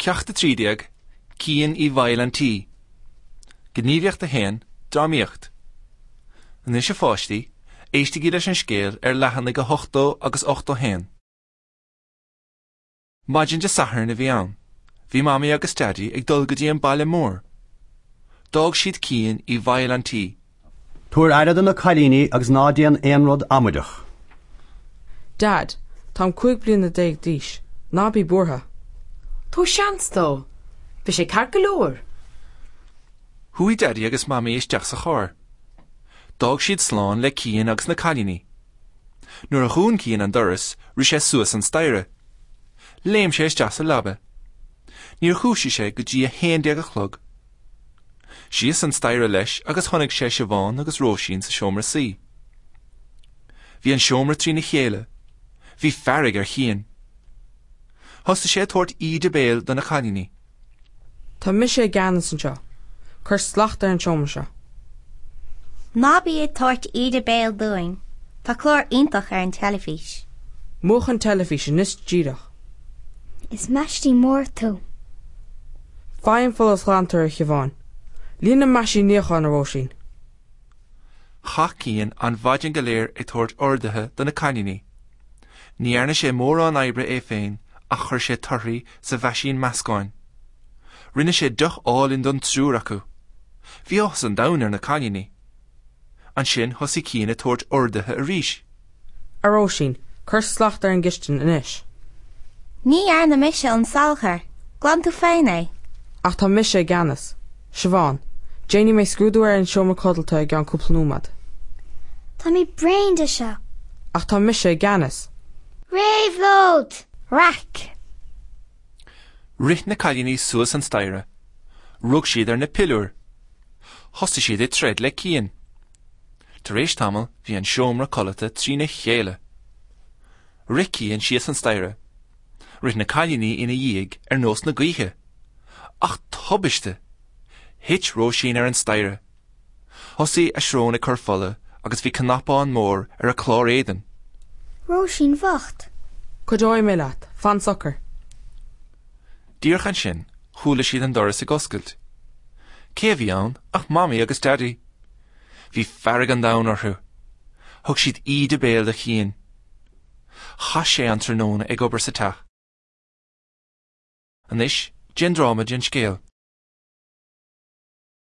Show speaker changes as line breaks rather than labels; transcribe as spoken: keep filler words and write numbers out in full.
Ceacht a trí déag, Cian i bhfeighil an tí. Gníomhaíocht a haon, Drámaíocht. Anois a pháistí, éistigí leis an scéal ar leathanaigh a hochtó agus ochtó haon. Maidin Dé Sathairn a bhí ann. Bhí Mamaí agus Daidí ag dul go dtí an baile mór. D'fhág siad Cian i bhfeighil an tí.
Tabhair aire do na cailíní agus ná déan aon rud amaideach.
Dad, táim cúig bliana déag d'aois. Ná bí buartha.
Tabhair seans dó. Beidh sé ceart go leor.
Chuaigh Daidí agus Mamaí isteach sa charr. D'fhág siad slán le Cian agus na cailíní. Nuair a dhún Cian an doras, rith sé suas an staighre. Léim sé isteach sa leaba. Níor dhúisigh sé go dtí a haon déag a chlog. Síos an staighre leis agus chonaic sé Siobhán agus Róisín sa seomra suí. Bhí an seomra trína chéile. Bhí fearg ar Chian. Thosaigh sé ag tabhairt íde béil do na cailíní.
Tá mise i gceannas anseo. Cuir slacht ar an seomra seo.
Ná bí ag tabhairt íde béil dúinn. Tá clár iontach ar an teilifís.
Múch an teilifís anois díreach.
Is maistí mór tú.
Faigh an folúsghlantóir a Shiobhán. Líon an meaisín níocháin a Róisín.
Chaith Cian an mhaidin go léir ag tabhairt orduithe do na cailíní. Ní dhearna sé mórán oibre é féin ach chuir sé torthaí sa mheaisín meascáin. Rinne sé deoch álainn don triúr acu. Bhí áthas an domhain ar na cailíní. Ansin thosaigh Cian ag tabhairt orduithe arís.
A Róisín, cuir slacht ar an gcistin anois.
Ní dhearna mise an salachar, glan tú féin é.
Ach tá mise i gceannas. Siobhán, déanfaidh mé scrúdú ar an seomra codlata i gceann cúpla nóiméad.
Tá mé bréan de seo.
Ach tá mise i gceannas.
Réabhlóid!
Raic!
Rith na cailíní suas an staighre. Rug siad ar na piliúir. Thosaigh siad ag troid le Cian. Tar éis tamaill bhí an seomra codlata trína chéile. Rith Cian síos an staighre. Rith na cailíní ina dhiaidh ar nós na gaoithe. Ach tubaiste! Thit Róisín ar an staighre. Thosaigh a srón ag cur fola agus bhí cnapán mór ar a clár éadain.
Róisín bhocht.
Cuideoidh mé leat, fan socair.
Díreach ansin, chuala siad an doras ag oscailt. Cé a bhí ann ach Mamaí agus Daidí. Bhí fearg an domhain orthu. Thug siad íde béil do Chian. Chaith sé an tráthnóna ag obair sa teach. Anois, déan dráma den scéal.